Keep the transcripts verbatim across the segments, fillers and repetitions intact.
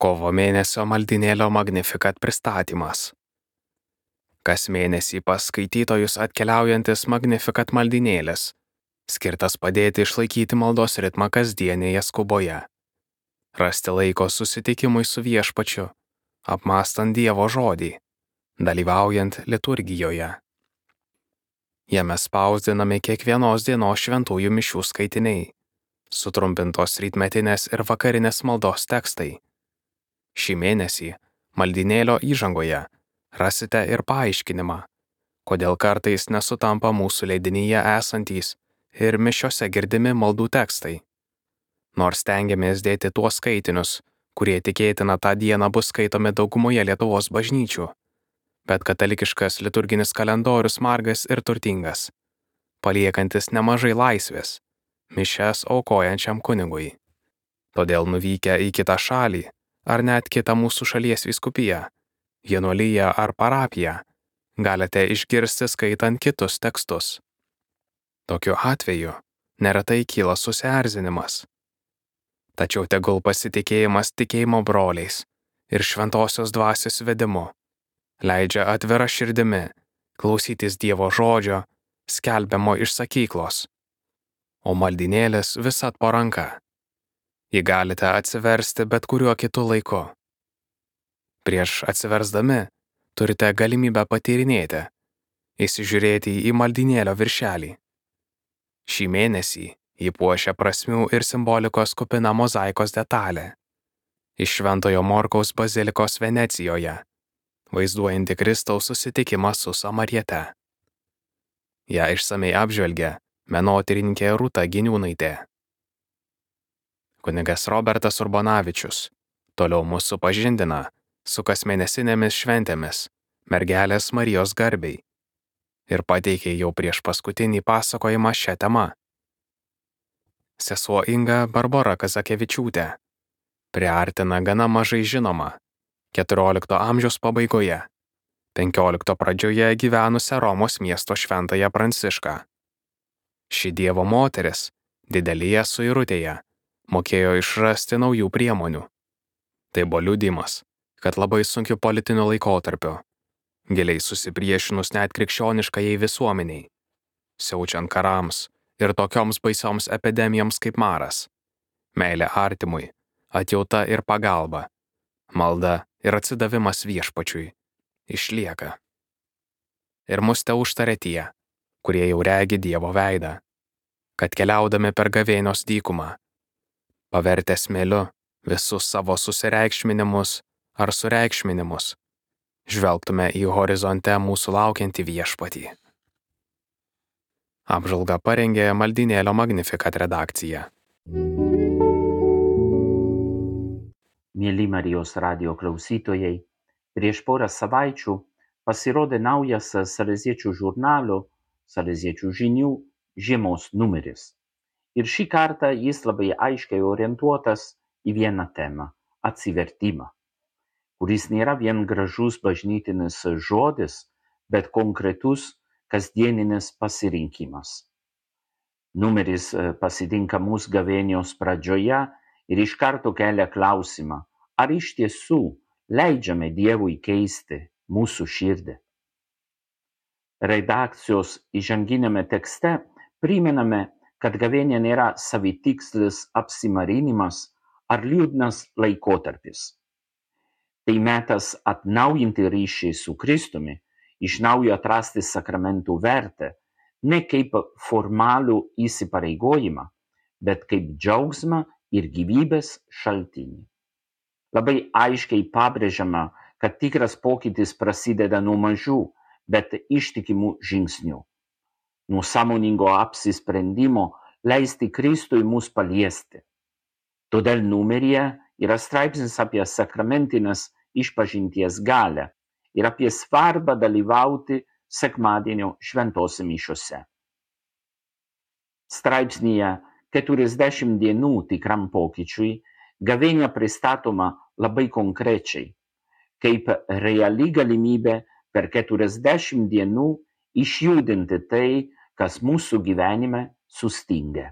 Kovo mėnesio maldynėlio Magnificat pristatymas. Kas mėnesį pas skaitytojus atkeliaujantis Magnificat maldynėlis, skirtas padėti išlaikyti maldos ritmą kasdienėje skuboje, rasti laiko susitikimui su Viešpačiu, apmąstant Dievo žodį, dalyvaujant liturgijoje. Jame spausdinami kiekvienos dienos šventųjų mišių skaitiniai, sutrumpintos rytmetinės ir vakarinės maldos tekstai. Šį mėnesį maldynėlio įžangoje rasite ir paaiškinimą, kodėl kartais nesutampa mūsų leidinyje esantys ir mišiose girdimi maldų tekstai. Nors stengiamės dėti tuos skaitinius, kurie tikėtina tą dieną bus skaitomi daugumoje Lietuvos bažnyčių, bet katalikiškas liturginis kalendorius margas ir turtingas, paliekantis nemažai laisvės mišias aukojančiam kunigui. Todėl nuvykę į kitą šalį, ar net kitą mūsų šalies vyskupiją, vienuoliją ar parapiją, galite išgirsti skaitant kitus tekstus. Tokiu atveju neretai kyla susierzinimas. Tačiau tegul pasitikėjimas tikėjimo broliais ir šventosios dvasios vedimu leidžia atvira širdimi klausytis Dievo žodžio, skelbiamo iš sakyklos, o maldynėlis visad po ranka. Jį galite atsiversti bet kuriuo kitu laiku. Prieš atsiversdami turite galimybę patyrinėti, įsižiūrėti į maldynėlio viršelį. Šį mėnesį jį puošia prasmių ir simbolikos kupina mozaikos detalė iš Šventojo Morkaus bazilikos Venecijoje, vaizduojanti Kristaus susitikimą su Samariete. Ją išsamei apžvelgia menotyrininkė Rūta Giniūnaitė. Kunigas Robertas Urbonavičius toliau mus supažindina su kasmėnesinėmis šventėmis Mergelės Marijos garbei ir pateikė jau prieš paskutinį pasakojimą šią temą. Sesuo Inga Barbora Kazakevičiūtė priartina gana mažai žinoma keturiolikto amžiaus pabaigoje, penkiolikto pradžioje gyvenusią Romos miesto šventąją Prancišką. Ši Dievo moteris didelėje suirutėje mokėjo išrasti naujų priemonių. Tai buvo liudijimas, kad labai sunkiu politiniu laikotarpiu, giliai susipriešinus net krikščioniškajai visuomeniai, siaučiant karams ir tokioms baisioms epidemijoms kaip maras, meilė artimui, atjauta ir pagalba, malda ir atsidavimas Viešpačiui išlieka. Ir mus te užtarė tie, kurie jau regi Dievo veidą, kad keliaudami per gavėnios dykumą, pavertę smėliu visus savo susireikšminimus ar sureikšminimus, žvelgtume į horizonte mūsų laukiantį Viešpatį. Apžvalgą parengė maldynėlio Magnificat redakcija. Mieli Marijos radijo klausytojai, prieš porą savaičių pasirodė naujas Saleziečių žurnalo Saleziečių žinių žiemos numeris. Ir šį kartą jis labai aiškiai orientuotas į vieną temą – atsivertimą, kuris nėra vien gražus bažnytinis žodis, bet konkretus kasdieninis pasirinkimas. Numeris pasitinka mūsų gavėnios pradžioje ir iš karto kelia klausimą, ar iš tiesų leidžiame Dievui keisti mūsų širdį. Redakcijos įžanginiame tekste primename, kad gavėnia nėra savitikslis apsimarinimas ar liūdnas laikotarpis. Tai metas atnaujinti ryšį su Kristumi, iš naujo atrasti sakramentų vertę, ne kaip formalų įsipareigojimą, bet kaip džiaugsmą ir gyvybės šaltinį. Labai aiškiai pabrėžiama, kad tikras pokytis prasideda nuo mažų, bet ištikimų žingsnių. Nuo sąmoningo apsisprendimo leisti Kristui mus paliesti. Todėl numeryje yra straipsnis apie sakramentinės išpažinties galią ir apie svarbą dalyvauti sekmadienio šventose mišiose. Straipsnyje keturiasdešimt dienų tikram pokyčiui gavėnia pristatoma labai konkrečiai, kaip reali galimybė per keturiasdešimt dienų išjudinti tai, kas mūsų gyvenime sustingia.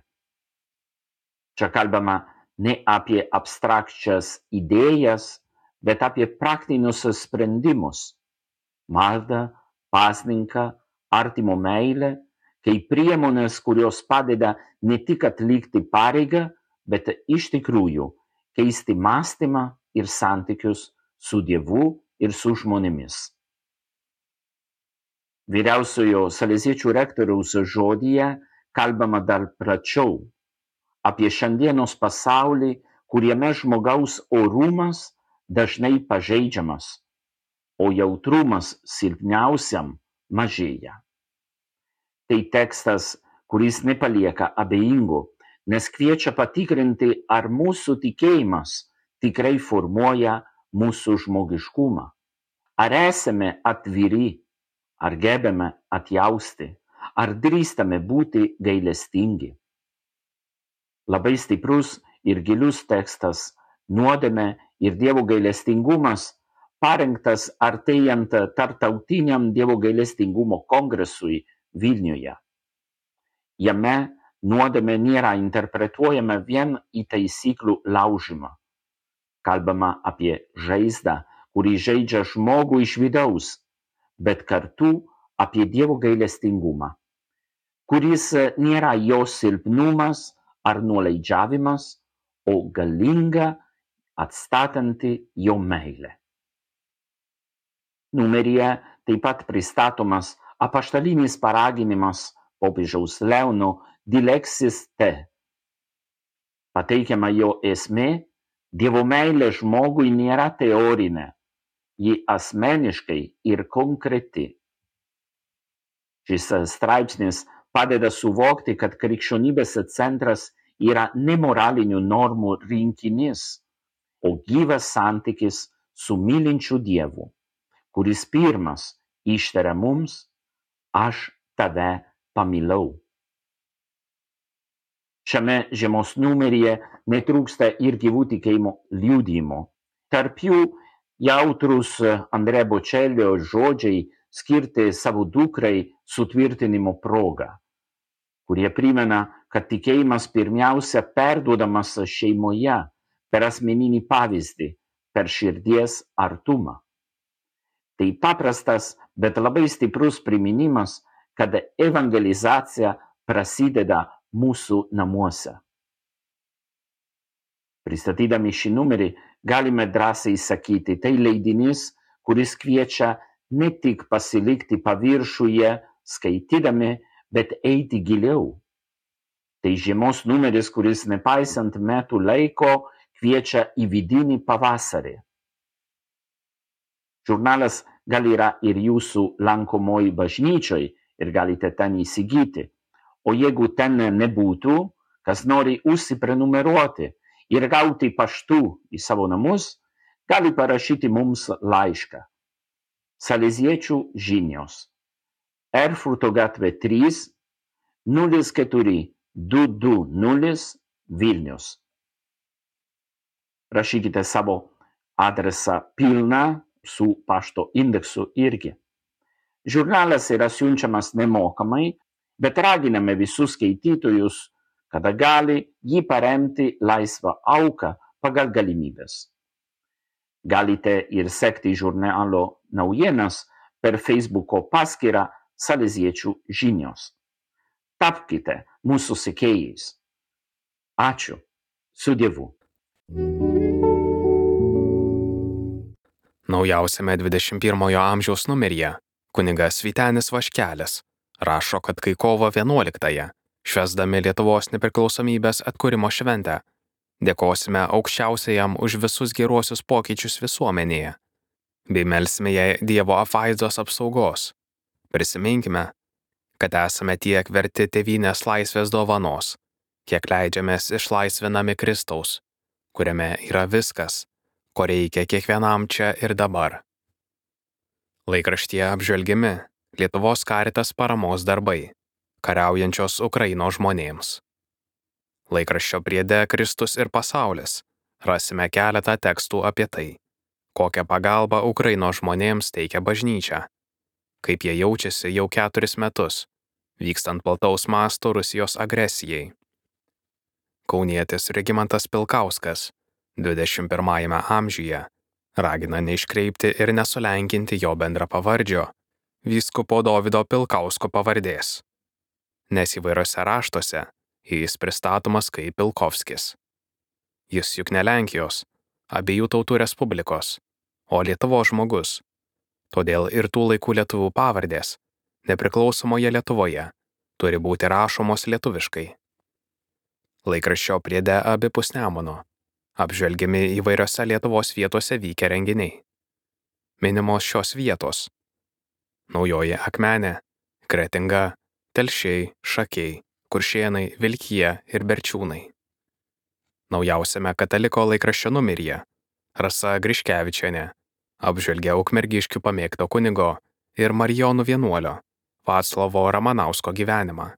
Čia kalbama ne apie abstrakčias idėjas, bet apie praktinius sprendimus – maldą, pasninką, artimo meilę, kaip priemonės, kurios padeda ne tik atlikti pareigą, bet iš tikrųjų keisti mąstymą ir santykius su Dievu ir su žmonėmis. Vyriausiojo saleziečių rektoriaus žodyje kalbama dar plačiau apie šiandienos pasaulį, kuriame žmogaus orumas dažnai pažeidžiamas, o jautrumas silpniausiam mažėja. Tai tekstas, kuris nepalieka abejingų, nes kviečia patikrinti, ar mūsų tikėjimas tikrai formuoja mūsų žmogiškumą. Ar esame atviri, ar gebame atjausti, ar drįstame būti gailestingi. Labai stiprus ir gilus tekstas, nuodėmė ir Dievo gailestingumas, parengtas artėjant tarptautiniam Dievo gailestingumo kongresui Vilniuje. Jame nuodėmė nėra interpretuojama vien į taisyklių laužymą. Kalbama apie žaizdą, kuri žaidžia žmogų iš vidaus, bet kartu apie Dievo gailestingumą, kuris nėra jo silpnumas ar nuolaidžiavimas, o galinga atstatanti jo meilė. Numeryje taip pat pristatomas apaštalinis paraginimas popiežiaus Leono Dilexis Te. Pateikiama jo esmė, Dievo meilė žmogui nėra teorinė, ji asmeniškai ir konkreti. Šis straipsnis padeda suvokti, kad krikščionybės centras yra ne moralinių normų rinkinys, o gyvas santykis su mylinčiu Dievu, kuris pirmas ištaria mums: aš tave pamilau. Šiame žiemos numeryje netrūksta ir gyvų tikėjimo liudijimų. Tarp jų jautrus Andrea Bocelio žodžiai skirti savo dukrai sutvirtinimo proga, kurie primena, kad tikėjimas pirmiausia perduodamas šeimoje per asmeninį pavyzdį, per širdies artumą. Tai paprastas, bet labai stiprus priminimas, kad evangelizacija prasideda mūsų namuose. Pristatydami šį numerį galime drąsiai sakyti, tai leidinys, kuris kviečia ne tik pasilikti paviršiuje skaitydami, bet eiti giliau. Tai žiemos numeris, kuris nepaisant metų laiko kviečia į vidinį pavasarį. Žurnalas gal yra ir jūsų lankomoj bažnyčioj ir galite ten įsigyti. O jeigu ten nebūtų, kas nori užsiprenumeruoti ir gauti paštu į savo namus, gali parašyti mums laišką. Saleziečių žinios. Erfurto gatvė trys, nulis keturi du du nulis Vilnius. Rašykite savo adresą pilną su pašto indeksu irgi. Žurnalas yra siunčiamas nemokamai, bet raginame visus skaitytojus, kada gali jį paremti laisvą auką pagal galimybės. Galite ir sekti žurnalo naujienas per Facebooko paskyrą Saleziečių žinios. Tapkite mūsų sekėjais. Ačiū. Su Dievu. Naujausiame dvidešimt pirmojo amžiaus numeryje kunigas Vytenis Vaškelis rašo, kad kai kovo vienuoliktąją, švęsdami Lietuvos nepriklausomybės atkūrimo šventę, dėkosime aukščiausiajam už visus geruosius pokyčius visuomenėje, bei melsime jai Dievo apvaizdos apsaugos. Prisiminkime, kad esame tiek verti tėvynės laisvės dovanos, kiek leidžiamės išlaisvinami Kristaus, kuriame yra viskas, ko reikia kiekvienam čia ir dabar. Laikraštyje apžvelgiami Lietuvos Caritas paramos darbai, kariaujančios Ukrainos žmonėms. Laikraščio priede Kristus ir pasaulis rasime keletą tekstų apie tai, kokią pagalbą Ukrainos žmonėms teikia bažnyčia, kaip jie jaučiasi jau keturis metus, vykstant plataus masto Rusijos agresijai. kaunietis Regimantas Pilkauskas dvidešimt pirmajame amžiuje ragina neiškreipti ir nesulenkinti jo bendrapavardžio, vyskupo Dovydo Pilkausko pavardės, nes įvairiose raštuose jis pristatomas kaip Pilkovskis. Jis juk ne Lenkijos, abiejų tautų respublikos, o Lietuvos žmogus, todėl ir tų laikų lietuvių pavardės nepriklausomoje Lietuvoje turi būti rašomos lietuviškai. Laikraščio priede abipus Nemuno apžvelgiami įvairiose Lietuvos vietose vykę renginiai. Minimos šios vietos: Naujoji Akmenė, Kretinga, Telšiai, Šakiai, Kuršėnai, Vilkija ir Berčiūnai. Naujausiame Kataliko laikraščio numeryje Rasa Griškevičienė apžvelgia Ukmergiškių pamėgto kunigo ir Marijonų vienuolio Vaclovo Ramanausko gyvenimą.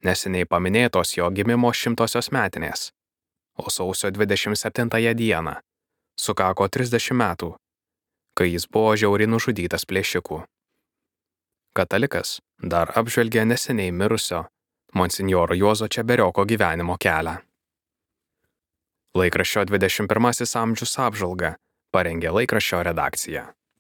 Neseniai paminėtos jo gimimo šimtosios metinės, o sausio dvidešimt septintąją dieną sukako trisdešimt metų, kai jis buvo žiauriai nužudytas plėšikų. Katalikas dar apžvelgia neseniai mirusio monsinjoro Juozo Čeberioko gyvenimo kelią. Laikraščio dvidešimt pirmasis amžius apžvalgą parengė laikraščio redakcija.